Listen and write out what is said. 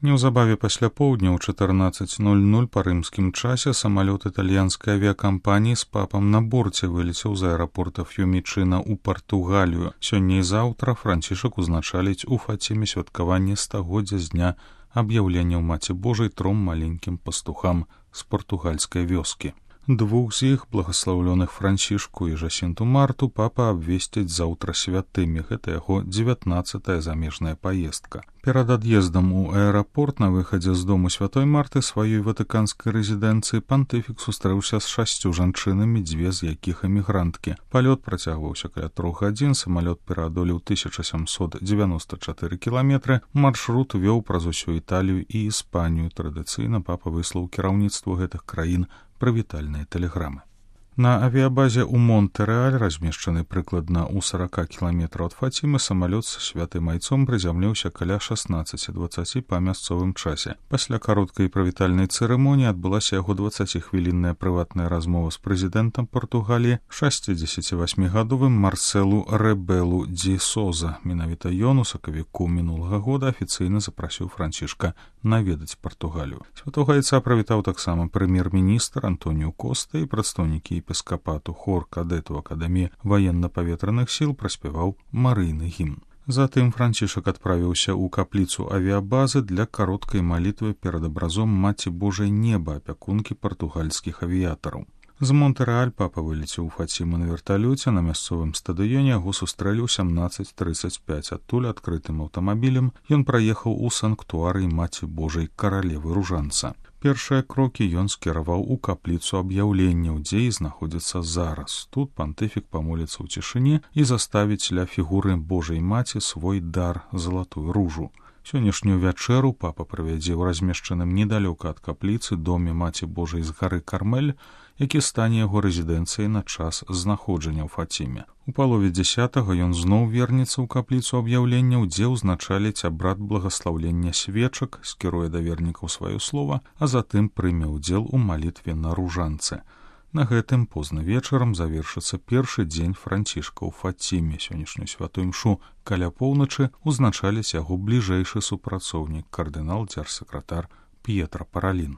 Неўзабаве пасля поўдня ў 14:00 па рымскім часе самалёт італьянскай авіякампаніі з папам на борце вылецеў з аэрапорта Ф'юмічына ў Партугалію. Сёння і заўтра Францішак узначаліць у Фаціме святкаванне 100-годдзя з дня аб'яўлення ў Маці Божай 3 маленькім пастухам з партугальскай вёскі. Двух з іх, благаслаўлёных Францішку і Жасінту Марту, папа абвесціць заўтра святымі. Гэта яго 19-я замежная паездка. Перад ад'ездам у аэрапорт на выхадзе з дому святой Марты сваёй ватыканскай рэзідэнцыі пантыфік сустрэўся з 6 жанчынамі, 2 з якіх эмігранткі. Палёт працягваўся каля 3 гадзін, самалёт пераадолеў 1794 кіламетры, маршрут вёў праз усю Італію і Іспанію. Традыцыйна папа выслаў кіраўніцтву гэтых краін прывітальныя тэлеграмы. На авіябазе ў Монтэрэаль, размешчаны прыкладна ў 40 кіламетраў ад Фацімы, самалёт з святым айцом прызямліўся каля 16:20 па мясцовым часе. Пасля кароткай прывітальнай цырымоніі адбылася яго 20-хвілінная прыватная размова з прэзідэнтам Партугаліі, 68-гадовым Марселу Рэбелу ді Соза. Менавіта ён у сакавіку мінулага года афіцыйна запрасіў Францішка наведаць Партугалію. Святога айца прывітаў таксама прэм'ер-міністр Антоніу Коста і прадстаўнікі епіскапату. Хор кадэтаў акадэміі ваенна-паветраных сіл праспяваў марыйны гімн. Затым Францішак адправіўся ў капліцу авіябазы для кароткай малітвы перад абразом Маці Божай неба, апякункі партугальскіх авіятараў. З Монтэрэаль папа вылецеў у Фаціму на верталёце. На мясцовым стадыёне яго сустрэлі ў 17:35. Адтуль адкрытым аўтамабілем ён праехаў у санктуарый Маці Божай каралевы Ружанца. Першыя крокі ён скіраваў у капліцу аб'яўленняў, дзе і знаходзіцца зараз. Тут пантыфік памоліцца ў цішыні і заставіць ля фігуры Божай Маці свой дар, залатую ружу. Сённяшнюю вячэру папа правядзе ў размешчаным недалёка ад капліцы доме Маці Божай з гары Кармель, які стане яго рэзідэнцыяй на час знаходжання ў Фаціме. У палове 10-го ён зноў вернецца ў капліцу аб'яўленняў, дзе ўзначаліць абрад благаслаўлення свечак, скіруе да вернікаў сваё слова, а затым прыме ўдзел у малітве на Ружанцы. На гэтым позна вечарам завершыцца першы дзень Францішка ў Фаціме. Сённяшнюю святую імшу каля поўначы узначаліць яго бліжэйшы супрацоўнік, кардынал дзяржсакратар П'етра Паралін.